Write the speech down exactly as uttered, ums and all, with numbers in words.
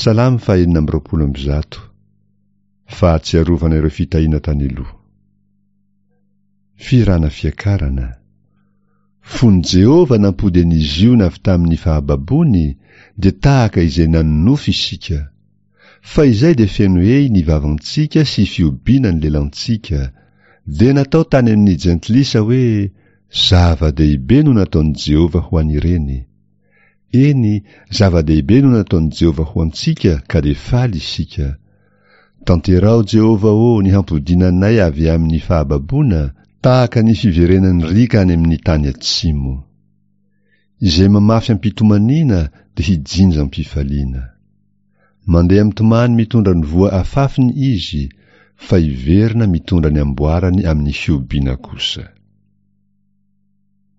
Salamo fahenina amby roapolo amby zato. Fahatsiarovana ireo fitahiana tany aloha. Fihirana fiakarana. Fony Jehovah nampody an'i Ziona avy tamin'ny fahababoany, dia tahaka izay nanonofy isika. Fa izay dia feno hehy ny vavantsika sy fihobiana ny lelantsika. Dia natao tany amin'ny jentilisa hoe zava-dehibe no nataon'i Jehovah ho an'ireny. Eny, zava-dehibe no nataon'i Jehovah ho antsika ka dia faly isika. Tanteraho Jehovah ô ny hampodiana anay avy amin'ny fahababoana, tahaka ny fiverenan'ny riaka any amin'ny tany atsimo. Izay mamafy am-pitomaniana dia hijinja am-pifaliana. Mandeha mitomany mitondra ny voa afafiny izy, fa hiverina mitondra ny amboarany amin'ny fihobiana kosa.